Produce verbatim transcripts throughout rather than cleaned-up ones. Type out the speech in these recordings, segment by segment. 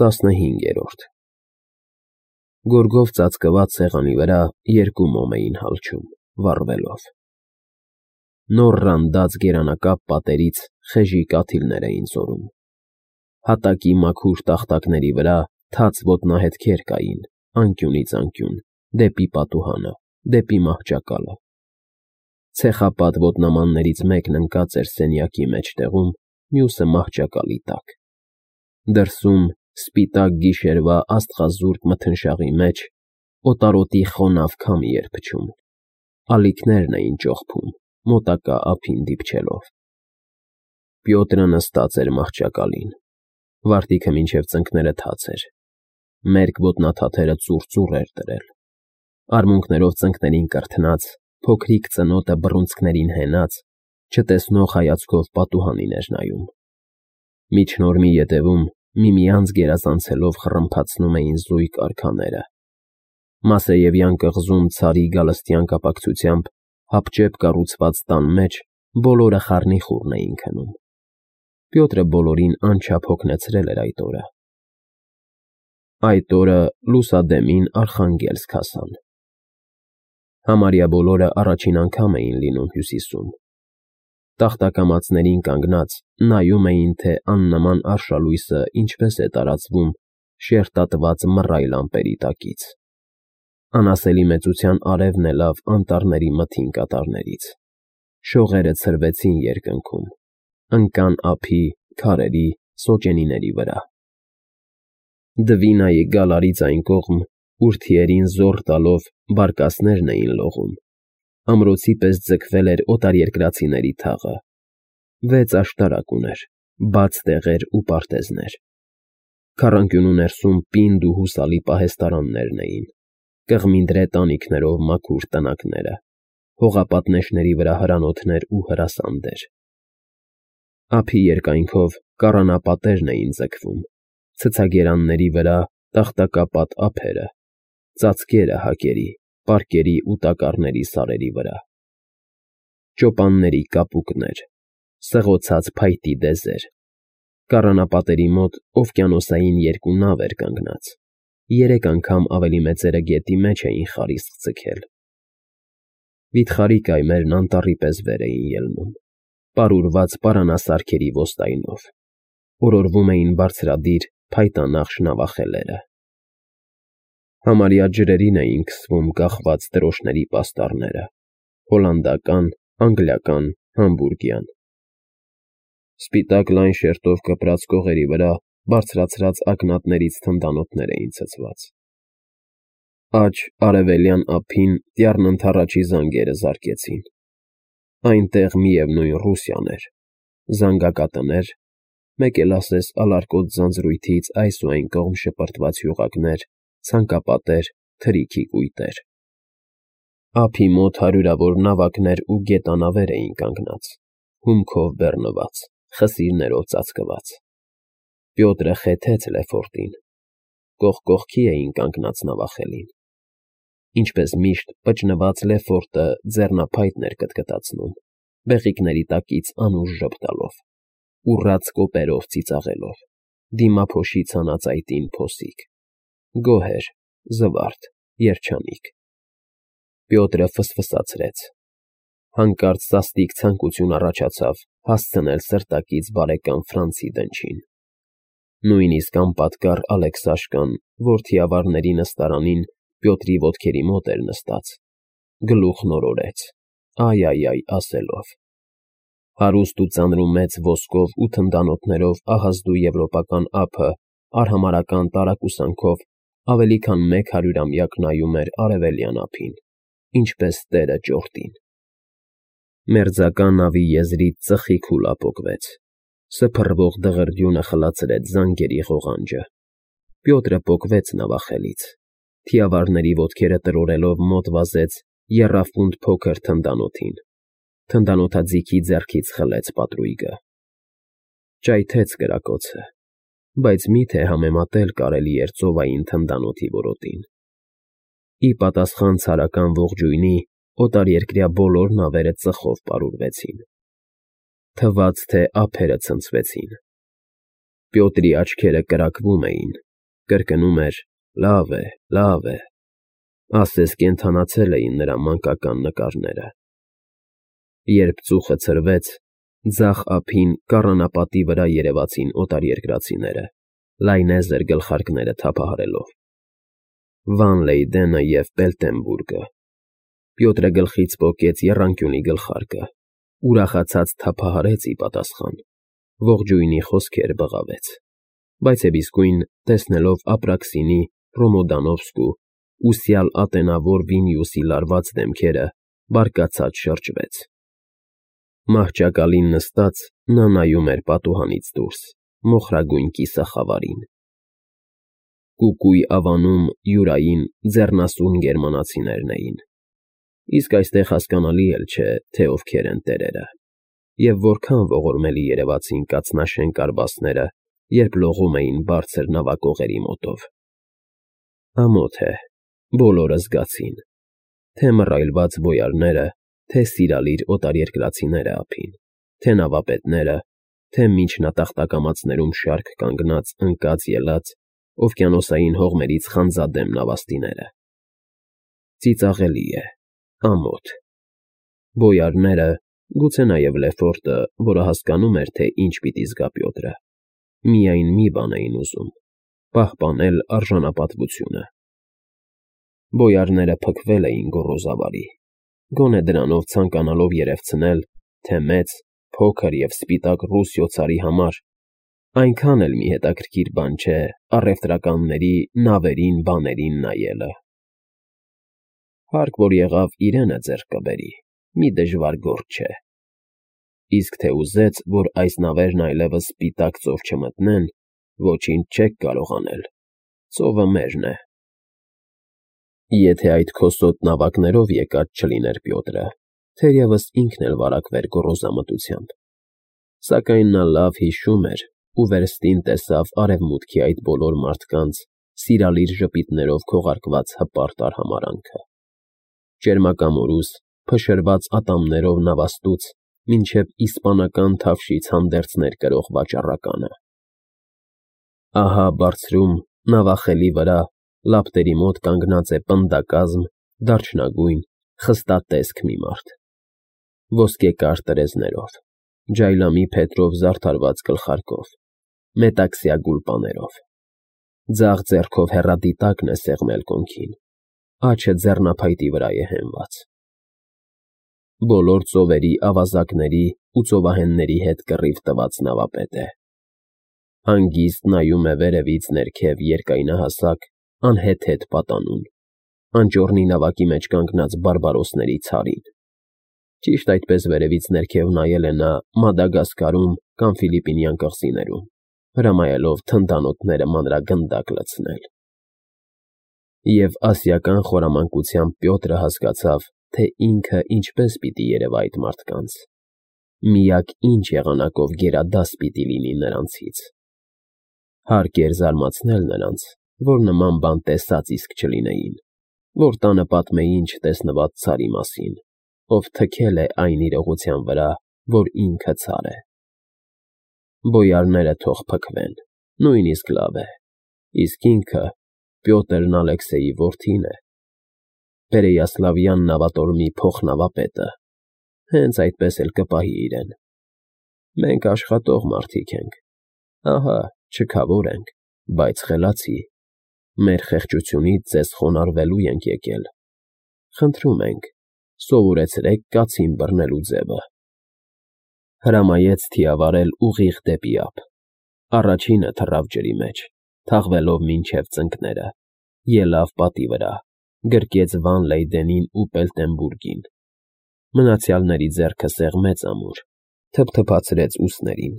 Տասնհինգերորդ Գորգով ծածկված սեղանի վրա երկու մոմ էին հալչում, վառվելով. նոր ռանդած գերանակապ պատերից խեժի կաթիլներ էին զորում, հատակի մաքուր տախտակների վրա թաց ոտնահետքեր կային անկյունից անկյուն, դեպի պատուհանը, դեպի մահճակալը, ցեխապատ ոտնամաններից մեկն ընկած էր սենյակի մեջտեղում, մյուսը մահճակալի տակ, դրսում, սպիտակ գիշերվա աստղազուրկ մթնշաղի մեջ, օտարոտի խոնավ քամի էր փչում, ալիքներն էին ճողփում, մոտակա ափին դիպչելով։ Պյոտրը նստած էր մահճակալին, վարտիքը մինչև ծնկները թաց էր, մերկ ոտնաթաթերը ծուռ-ծուռ էր դրել, արմունկներով ծնկներին կրթնած, փոքրիկ ծնոտը բռունցքներին հենած, չտեսնող հայացքով պատուհանին էր նայում։ Միջնորմի ետևում միմյանց գերազանցելով խռմփացնում էին զույգ արքաները։ Մասեևյան կղզում ցարի գալստյան կապակցությամբ հապճեպ կառուցված տան մեջ բոլորը խառնիխուռն էին քնում։ Պյոտրը բոլորին անչափ հոգնեցրել էր այդ օրը։ Այդ օրը լուսադեմին Արխանգելսկ հասան։ Համարյա բոլորը առաջին անգամ էին լինում Հյուսիսում։ Տախտակամածներին կանգնած նայում էին, թե աննման արշալույսը ինչպես է տարածվում շերտատված մռայլ ամպերի տակից։ Անասելի մեծության արևն ելավ անտառների մթին կատարներից, շողերը ցրվեցին երկնքում, ընկան ափի, քարերի, սոճենիների վրա։ Դվինայի գալարից այն կողմ, ուր թիերին զոռ տալով բարկասներն էին լողում, ամրոցի պես ձգվել էր օտարերկրացիների թաղը, վեց աշտարակ ուներ, բաց տեղեր ու պարտեզներ։ Քառանկյունու ներսում պինդ ու հուսալի պահեստարաններն էին, կղմինդրե տանիքներով մաքուր տնակները, հողապատնեշների վրա հրանոթներ ու հրասանդեր։ Ափի երկայնքով կառանապատերն էին ձգվում, ցցագերանների վրա տախտակապատ ափերը, ծածկերը հակերի, պարկերի ու տակառների սարերի վրա։ Ճոպանների կապուկներ, սղոցած փայտի դեզեր, կառանապատերի մոտ օվկիանոսային երկու նավ էր կանգնած, երեք անգամ ավելի մեծերը գետի մեջ էին խարիսկ ձգել։ Վիթխարի կայմերն անտառի պես վեր էին ելնում, պարուրված պարանասարքերի ոստայնով, օրորվում էին բարձրադիր փայտանախշ նավախելերը։ Համարյա ջրերին էին քսվում կախված դրոշների պաստառները, հոլանդական, անգլիական, համբուրգյան։ Սպիտակ լայն շերտով կպրած կողերի վրա բարձրացրած ակնատներից թնդանոթներ էին ցցված։ Աջ արևելյան ափին դյառն ընդառաջի զանգերը զարկեցին։ Այնտեղ միևնույն Ռուսիան էր, զանգակատներ, մեկ էլ ասես ալարկոտ ձանձրույթից այս ու այն կողմ շպրտված յուղակներ, ցանկապատեր, թրիքի կույտեր։ Ափի մոտ հարյուրավոր նավակներ ու գետանավեր էին կանգնած, հումքով բեռնված, խսիրներով ծածկված։ Պյոտրը խեթեց Լեֆորտին։ Կողք կողքի էին կանգնած նավախելին։ Ինչպես միշտ պճնված Լեֆորտը ձեռնափայտն էր կտկտացնում, բեղիկների տակից անուշ ժպտալով, ուռած կոպերով ծիծաղելով, դիմափոշի ցանածայտին փոսիկ։ Գոհ էր, զվարթ, երջանիկ։ Պյոտրը ֆսֆսացրեց։ Հանկարծ սաստիկ ցանկություն առաջացավ հասցնել սրտակից բարեկամ Ֆրանցի դնչին։ Նույնիսկ անպատկառ Ալեքսաշկան, որ թիավարների նստարանին Պյոտրի ոտքերի մոտ էր նստած, գլուխն օրորեց, այ֊այ֊այ ասելով։ Հարուստ ու ծանրումեծ ոսկով ու թնդանոթներով ահազդու եվրոպական ափը արհամարհական տարակուսանքով ավելի քան մեկ հարյուրամյակ նայում էր արևելյան ափին, ինչպես տերը ճորտին։ Մերձակա նավի եզրից ծխի քուլա պոկվեց, սփռվող դղրդյունը խլացրեց զանգերի ղողանջը։ Պյոտրը պոկվեց նավախելից, թիավարների ոտքերը տրորելով մոտ վազեց եռաֆունդ փոքր թնդանոթին, թնդանոթաձիգի ձեռքից խլեց պատրույգը։ Ճայթեց կրակոցը, բայց մի՞թե համեմատել կարելի էր ծովային թնդանոթի որոտին։ Ի պատասխան ցարական ողջույնի օտարերկրյա բոլոր նավերը ծխով պարուրվեցին։ Թվաց, թե ափերը ցնցվեցին։ Պյոտրի աչքերը կրակվում էին, կրկնում էր. «Լավ է, լավ է», ասես կենդանացել էին նրա մանկական նկարները։ Երբ ծուխը ցրվեց, ձախ ափին կառանապատի վրա երևացին օտարերկրացիները, լայնեզր գլխարկները թափահարելով. Վան Լեյդենը և Բելտենբուրգը։ Պյոտրը գլխից պոկեց եռանկյունի գլխարկը, ուրախացած թափահարեց ի պատասխան, ողջույնի խոսքեր բղավեց, բայց և իսկույն, տեսնելով Ապրաքսինի, Ռոմոդանովսկու ու սյալ ատենավոր Վինիուսի լարված դեմքերը, բարկացած շրջվեց։ Մահճակալին նստած՝ նա նայում էր պատուհանից դուրս, մոխրագույն կիսախավարին։ Կուկույ ավանում յուրային ձեռնասուն գերմանացիներն էին, իսկ այստեղ հասկանալի էլ չէ, թե ովքեր են տերերը, և որքան ողորմելի երևացին կաթնաշեն կարբասները, երբ լողում էին բարձր նավակողերի մոտով։ Ամոթ է, բոլորը զգացին, թե մռայլված բոյարները, թե սիրալիր օտարերկրացիները ափին, թե նավապետները, թե միջնատախտակամածներում շարք կանգնած ընկած֊ելած օվկիանոսային հողմերից խանձադեմ նավաստիները։ Ծիծաղելի է, ամոթ։ Բոյարները, գուցե նաև Լեֆորտը, որը հասկանում էր, թե ինչ պիտի զգա Պյոտրը, միայն մի բան էին ուզում՝ պահպանել արժանապատվությունը։ Բոյարները փքվել էին գոռոզավարի, գոնե դրանով ցանկանալով երևցնել, թե մեծ, փոքր և սպիտակ ռուս֊յոցարի համար այնքան էլ մի հետաքրքիր բան չէ առևտրականների նավերին, բաներին նայելը։ Հարկ որ եղավ իրենը ձեռք կբերի, մի դժվար գործ չէ, իսկ թե ուզեց, որ այս նավերն այլևս սպիտակ ծով չմտնեն, ոչինչ չեք կարող անել, ծովը մերն է։ Եթե այդ քոսոտ նավակներով եկած չլիներ Պյոտրը, թերևս ինքն էլ վարակվեր գոռոզամտությամբ, սակայն նա լավ հիշում էր ու վերստին տեսավ արևմուտքի այդ բոլոր մարդկանց սիրալիր ժպիտներով քողարկված հպարտ արհամարհանքը, ճերմակամորուս, փշրված ատամներով նավաստուց մինչև իսպանական թավշից հանդերձներ կրող վաճառականը։ Ահա բարձրում, նավախելի վրա, լապտերի մոտ կանգնած է պնդակազմ, դարչնագույն, խստատեսք մի մարդ, ոսկեկար տրեզներով, ջայլամի փետրով զարդարված գլխարկով, մետաքսյա գուլպաներով, ձախ ձեռքով հեռադիտակն է սեղմել կոնքին, աջը ձեռնափայտի վրա է հենված։ Բոլոր ծովերի ավազակների ու ծովահենների հետ կռիվ տված նավապետ է։ Հանգիստ նայում է վերևից ներքև երկայնահասակ, անհեթեթ պատանուն, անճոռնի նավակի մեջ կանգնած բարբարոսների ցարին։ Ճիշտ այդպես վերևից ներքև նայել է նա Մադագասկարում կամ Ֆիլիպինյան կղզիներում, հրամայելով թնդանոթները մանրագնդակ լցնել։ Եվ ասիական խորամանկությամբ Պյոտրը հասկացավ, թե ինքը ինչպես պիտի երևա այդ մարդկանց, միակ ինչ եղանակով գերադաս պիտի լինի նրանցից։ Հարկ էր զարմացնել նրանց, որ նման բան տեսած իսկ չլինեին, որ տանը պատմեին չտեսնված ցարի մասին, ով թքել է այն իրողության վրա, որ ինքը ցար է։ Բոյարները թող փքվեն, նույնիսկ լավ է, իսկ ինքը, Պյոտրն Ալեքսեյի որդին է, Պերեյասլավյան նավատորմի փոխնավապետը, հենց այդպես էլ կպահի իրեն։ Մենք աշխատող մարդիկ ենք, ահա, չքավոր ենք, բայց խելացի, մեր խեղճությունից ձեզ խոնարհվելու ենք եկել, խնդրում ենք, սովորեցրեք կացին բռնելու ձևը։ Հրամայեց թիավարել ուղիղ դեպի ափ, առաջինը թռավ ջրի մեջ, թաղվելով մինչև ծնկները, ելավ պատի վրա, գրկեց Վան Լեյդենին ու Բելտենբուրգին, մնացյալների ձեռքը սեղմեց ամուր, թփթփացրեց ուսներին,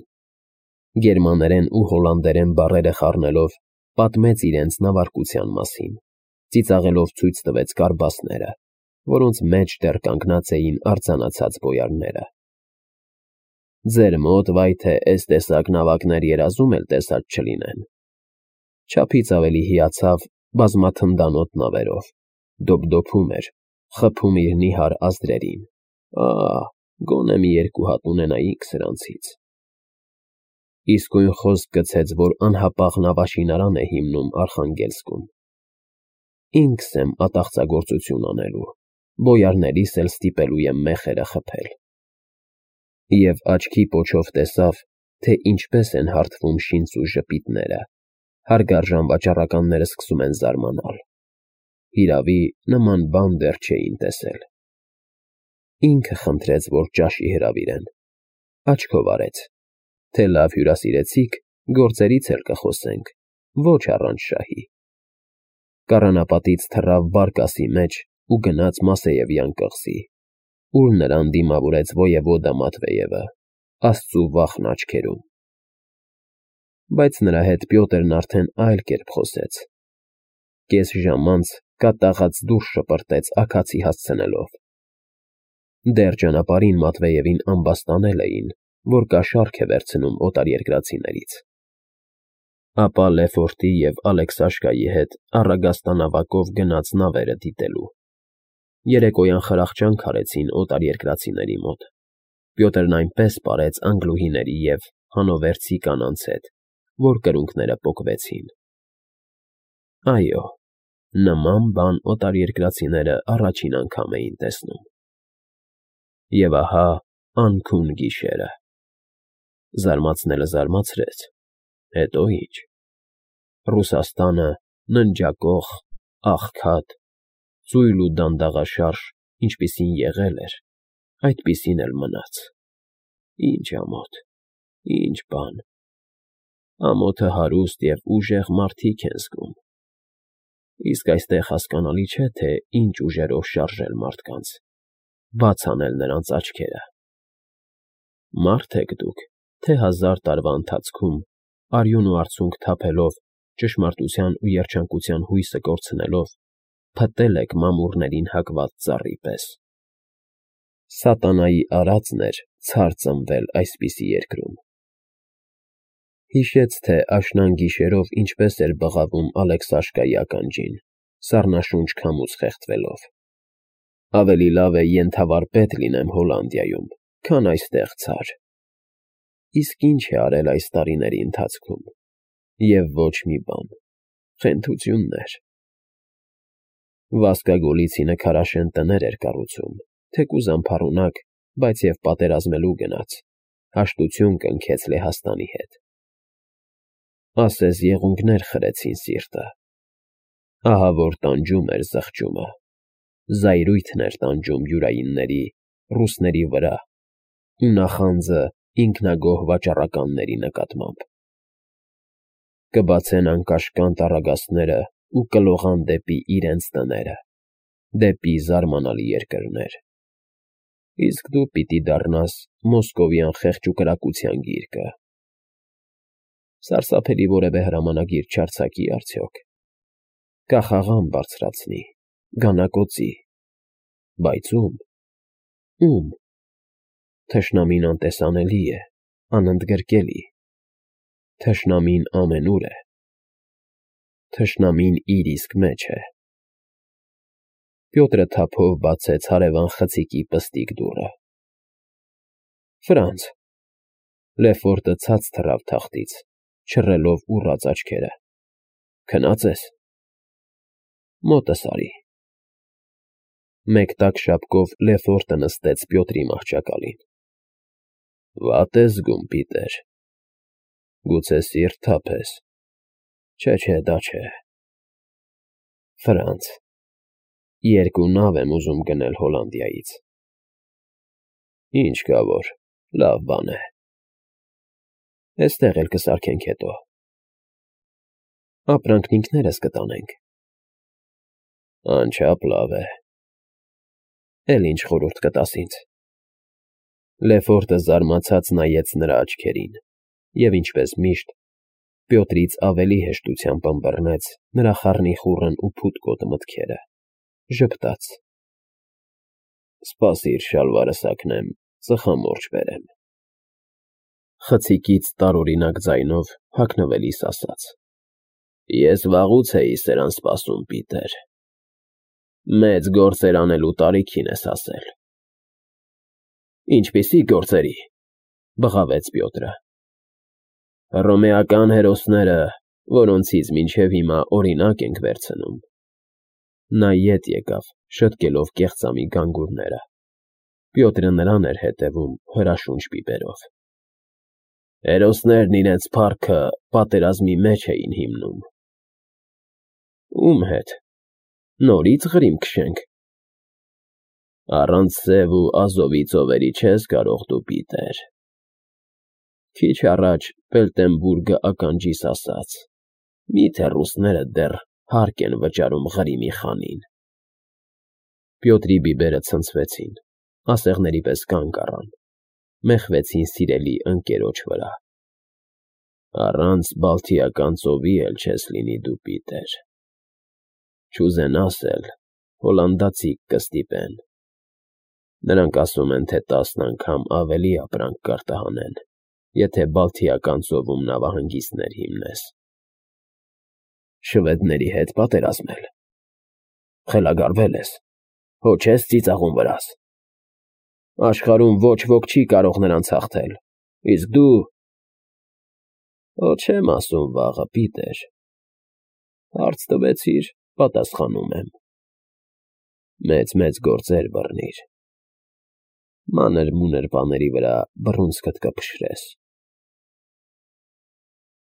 գերմաներեն ու հոլանդերեն բառերը խառնելով, պատմեց իրենց նավարկության մասին, ծիծաղելով ցույց տվեց կարբասները, որոնց մեջ դեռ կանգնած էին արձանացած բոյարները։ Ձեր մոտ վայ թե էս տեսակ նավակներ երազում էլ տեսած չլինեն։ Չափից ավելի հիացավ բազմաթնդանոթ նավերով, դոփդոփում էր, խփում իր նիհար ազդրերին։ Ահ, գոնե մի երկու հատ ունենայինք սրանցից։ Իսկույն խոսք գցեց, որ անհապաղ նավաշինարան է հիմնում Արխանգելսկում։ Ինքս եմ ատաղծագործություն անելու, բոյարներիս էլ ստիպելու եմ մեխերը խփել։ Եվ աչքի պոչով տեսավ, թե ինչպես են հարթվում շինծու ժպիտները, հարգարժան վաճառականները սկսում են զարմանալ։ Հիրավի, նման բան դեռ չէին տեսել։ Ինքը խնդրեց, որ ճաշի հրավիրեն, աչքով արեց, թե լավ հյուրասիրեցիք, գործերից էլ կխոսենք, ոչ առանց շահի։ Կառանապատից թռավ բարկասի մեջ ու գնաց Մասեևյան կղզի, ուր նրան դիմավորեց ոևոդա Մատվեևը, աստծու վախն աչքերում։ Բայց նրա հետ Պյոտրն արդեն այլ կերպ խոսեց։ Կես ժամ անց կատաղած դուրս շպրտեց աքացի հասցնելով։ Դեռ ճանապարհին Մատվեևին ամբաստանել էին, որ կաշառք է վերցնում օտարերկրացիներից։ Ապա Լեֆորտի և Ալեքսաշկայի հետ առագաստանավակով գնաց նավերը դիտելու։ Երեկոյան խրախճանք արեցին օտարերկրացիների մոտ։ Պյոտրն այնպես պարեց անգլուհիների և հանովերցի կանանց հետ, որ կրունկները պոկվեցին։ Այո, նման բան օտարերկրացիները առաջին անգամ էին տեսնում։ Եվ ահա անքուն գիշերը։ Զարմացնելը զարմացրեց, հետո ինչ։ Ռուսաստանը ննջակոխ, աղքատ, ծույլ ու դանդաղաշարժ, ինչպիսին եղել էր, այդպիսին էլ մնաց։ Ինչ ամոթ, ինչ բան։ Ամոթը հարուստ և ուժեղ մարդիկ են զգում։ Իսկ այստեղ հասկանալի չէ, թե ինչ ուժերով շարժել մարդկանց, բաց անել նրանց աչքերը։ Մարդ եք դուք, թե հազար տարվա ընթացքում, արյուն ու արցունք թափելով, ճշմարտության ու երջանկության հույսը կորցնելով, փտել եք մամուռներին հակված ծառի պես։ Սատանայի արածն էր ցար ծնվել այսպիսի երկրում։ Հիշեց, թե աշնան գիշերով ինչպես էր բղավում Ալեքսաշկայի ականջին, սառնաշունչ քամուց խեղդվելով։ Ավելի լավ է ենթավարպետ լինեմ Հոլանդիայում, քան այստեղ ցար։ Իսկ ինչ է արել այս տարիների ընթացքում։ Եվ ոչ մի բան, խենթություններ։ Վասկա Գոլիցինը քարաշեն տներ էր կառուցում, թեկուզ անփառունակ, բայց և պատերազմելու գնաց, հաշտություն կնքեց Լեհաստանի հետ։ Ասես եղունգներ խրեցին սիրտը։ Ահա որ տանջում էր զղջումը, զայրույթն էր տանջում յուրայինների, ռուսների վրա ու նախանձը ինքնագոհ վաճառականների նկատմամբ։ Կբացեն անկաշկանդ առագաստները ու կլողան դեպի իրենց տները, դեպի զարմանալի երկրներ։ Իսկ դու պիտի դառնաս մոսկովյան խեղճ ու կրակության գիրկը։ Սարսափելի որևէ հրամանագիր չարձակի արդյոք։ Կախաղան բարձրացնի, գանակոծի։ Բայց ում։ Ում։ Թշնամին անտեսանելի է, անընդգրկելի։ Թշնամին ամենուր է։ Թշնամին իր իսկ մեջ է։ Պյոտրը թափով բացեց հարևան խցիկի պստիկ դուռը։ Ֆրանց։ Լեֆորտը ցած թռավ թախտից, չռելով ուռած աչքերը։ Քնած ես։ Մոտս արի։ Մեկ տաք շապկով Լեֆորտը նստեց Պյոտրի մահճակալին։ Վատ ես զգում, Պիտեր։ Գուցե սիրտ թափես։ Չէ, չէ, դա չէ։ Ֆրանց։ Երկու նավ եմ ուզում գնել Հոլանդիայից։ Ինչ կա որ, լավ բան է։ Էստեղ էլ կսարքենք հետո։ Ապրանքն ինքներս կտանենք։ Անչափ լավ է։ Էլ ինչ խորհուրդ կտաս ինձ։ Լեֆորտը զարմացած նայեց նրա աչքերին և, ինչպես միշտ, Պյոտրից ավելի հեշտությամբ ըմբռնեց նրա խառնիխուռն ու փութկոտ մտքերը, ժպտաց. Սպասիր շալվարս հագնեմ, ծխամորճ բերեմ։ Խցիկից տարօրինակ ձայնով հագնվելիս ասաց. Ես վաղուց էի սրան սպասում, Պիտեր։ Մեծ գործեր անելու տարիքին ես հասել։ Ինչպիսի՞ գործերի, բղավեց Պյոտրը։ Հռոմեական հերոսները, որոնցից մինչև հիմա օրինակ ենք վերցնում։ Նա ետ եկավ, շտկելով կեղծամի գանգուրները։ Պյոտրը նրան էր հետևում հրաշունչ բիբերով։ Հերոսներն իրենց փառքը պատերազմի մեջ էին հիմնում։ Ում հետ։ Նորից ղրիմ քշենք։ Առանց Սև ու Ազովի ծովերի չես կարող դու, Պիտեր։ Քիչ առաջ Բելտենբուրգը ականջիս ասաց. «Միթե ռուսները դեռ հարկ են վճարում Ղրիմի խանին»։ Պյոտրի բիբերը ցնցվեցին, ասեղների պես կանգ առան, մեխվեցին սիրելի ընկերոջ վրա։ Առանց Բալթիական ծովի էլ չես լինի դու, Պիտեր։ Չուզենաս էլ հոլանդացիք կստիպեն։ Նրանք ասում են, թե տասն անգամ ավելի ապրանք կարտահանեն, եթե Բալթիական ծովում նավահանգիստներ հիմնես։ Շվեդների հետ պատերազմել։ Խելագարվել ես, հո չես ծիծաղում վրաս։ Աշխարհում ոչ ոք չի կարող նրանց հաղթել, իսկ դու… Հո չեմ ասում վաղը, Պիտեր։ Հարց տվեցիր, պատասխանում եմ։ Մեծ֊մեծ գործեր բռնիր։ Մանր֊մունր բաների վրա բռունցքդ կփշրես։